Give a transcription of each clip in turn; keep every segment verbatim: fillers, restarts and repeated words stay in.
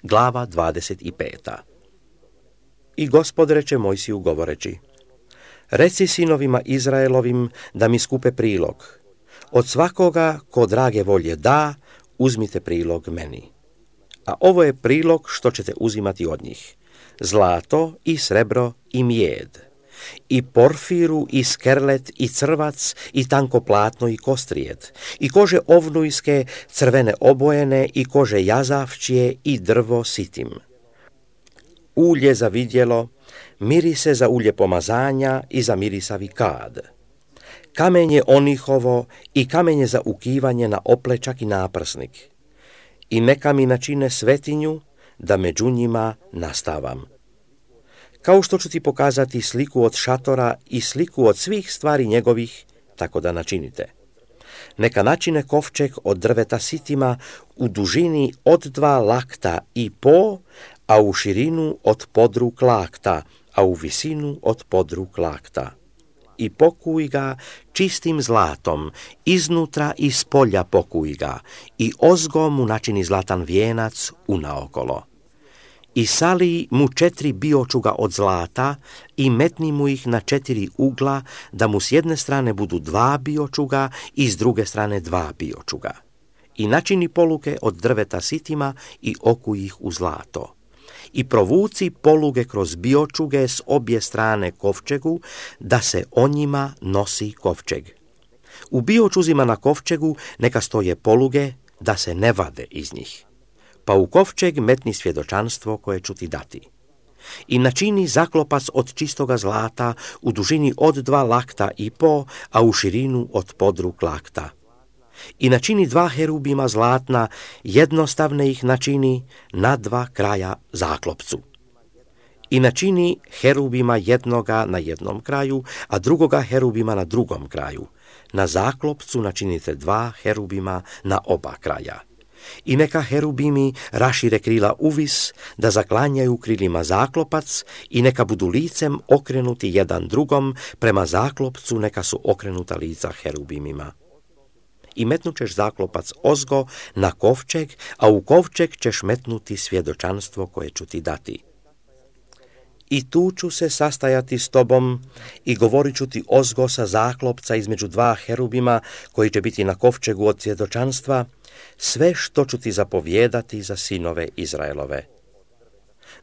Glava dvadeset pet. I Gospod reče Mojsiju govoreći: Reci sinovima Izraelovim da mi skupe prilog. Od svakoga ko drage volje da, uzmite prilog meni. A ovo je prilog što ćete uzimati od njih: zlato i srebro i mijed, i porfiru i skerlet i crvac i tanko platno i kostrijed, i kože ovnujske, crvene obojene i kože jazavčije i drvo sitim. Ulje za vidjelo, mirise za ulje pomazanja i za mirisavi kad. Kamenje onihovo i kamenje za ukivanje na oplečak i naprsnik. I neka mi načine svetinju, da među njima nastavam. Kao što ću ti pokazati sliku od šatora i sliku od svih stvari njegovih, tako da načinite. Neka načine kovčeg od drveta sitima u dužini od dva lakta i po, a u širinu od podruk lakta, a u visinu od podruk lakta. I pokuj ga čistim zlatom, iznutra i spolja pokuj ga, i ozgo mu načini zlatan vijenac unaokolo. I sali mu četiri biočuga od zlata i metni mu ih na četiri ugla, da mu s jedne strane budu dva biočuga i s druge strane dva biočuga. I načini poluke od drveta sitima i okuj ih u zlato. I provuci poluge kroz biočuge s obje strane kovčegu, da se o njima nosi kovčeg. U biočuzima na kovčegu neka stoje poluge, da se ne vade iz njih. Pa u kovčeg metni svjedočanstvo koje ću ti dati. I načini zaklopac od čistoga zlata u dužini od dva lakta i po, a u širinu od podruk lakta. I načini dva herubima zlatna, jednostavne ih načini na dva kraja zaklopcu. I načini herubima jednoga na jednom kraju, a drugoga herubima na drugom kraju. Na zaklopcu načinite dva herubima na oba kraja. I neka herubimi rašire krila uvis, da zaklanjaju krilima zaklopac, i neka budu licem okrenuti jedan drugom, prema zaklopcu neka su okrenuta lica herubimima. I metnućeš zaklopac ozgo na kovčeg, a u kovčeg ćeš metnuti svjedočanstvo koje ću ti dati. I tu ću se sastajati s tobom i govorit ću ti ozgo sa zaklopca između dva herubima koji će biti na kovčegu od svjedočanstva, sve što ću ti zapovijedati za sinove Izraelove.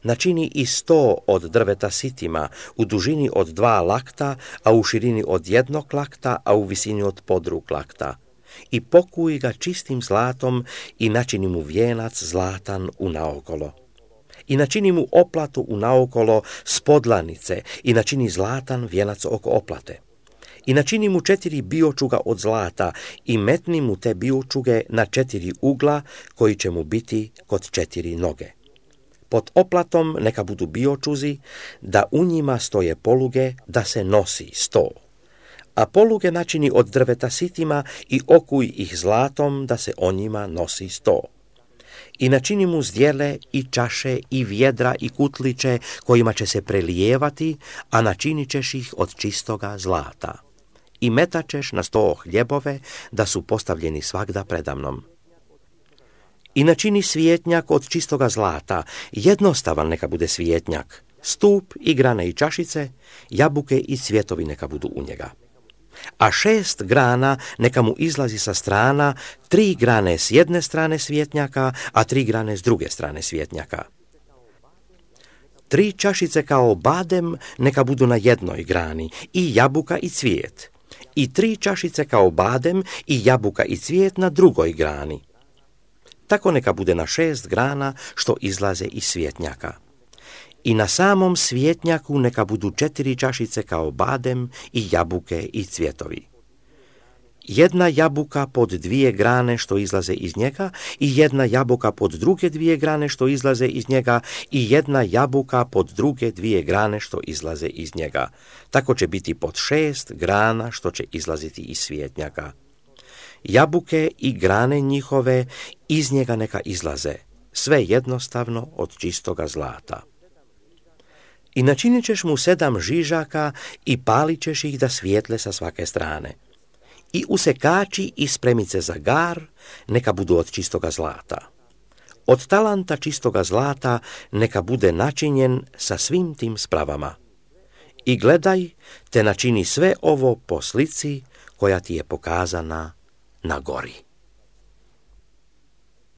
Načini i sto od drveta sitima u dužini od dva lakta, a u širini od jednog lakta, a u visini od podruk lakta. I pokuj ga čistim zlatom i načini mu vijenac zlatan unaokolo. I načini mu oplatu unaokolo s podlanice i načini zlatan vijenac oko oplate. I načini mu četiri biočuga od zlata i metni mu te biočuge na četiri ugla koji će mu biti kod četiri noge. Pod oplatom neka budu biočuzi, da u njima stoje poluge, da se nosi sto. A poluge načini od drveta sitima i okuj ih zlatom, da se o njima nosi sto. I načini mu zdjele i čaše i vjedra i kutliće kojima će se prelijevati, a načinit ćeš ih od čistoga zlata. I metačeš na sto hljebove, da su postavljeni svagda predamnom. I načini svijetnjak od čistoga zlata, jednostavan neka bude svijetnjak, stup i grane i čašice, jabuke i cvjetovi neka budu u njega. A šest grana neka mu izlazi sa strana, tri grane s jedne strane svjetnjaka, a tri grane s druge strane svjetnjaka. Tri čašice kao badem neka budu na jednoj grani, i jabuka i cvijet. I tri čašice kao badem i jabuka i cvijet na drugoj grani. Tako neka bude na šest grana što izlaze iz svjetnjaka. I na samom svjetnjaku neka budu četiri čašice kao badem i jabuke i cvjetovi. Jedna jabuka pod dvije grane što izlaze iz njega i jedna jabuka pod druge dvije grane što izlaze iz njega i jedna jabuka pod druge dvije grane što izlaze iz njega. Tako će biti pod šest grana što će izlaziti iz svjetnjaka. Jabuke i grane njihove iz njega neka izlaze, sve jednostavno od čistoga zlata. I načinit ćeš mu sedam žižaka i palit ćeš ih da svijetle sa svake strane. I usekači i spremice za gar neka budu od čistoga zlata. od talanta čistoga zlata neka bude načinjen sa svim tim spravama. I gledaj, te načini sve ovo po slici koja ti je pokazana na gori.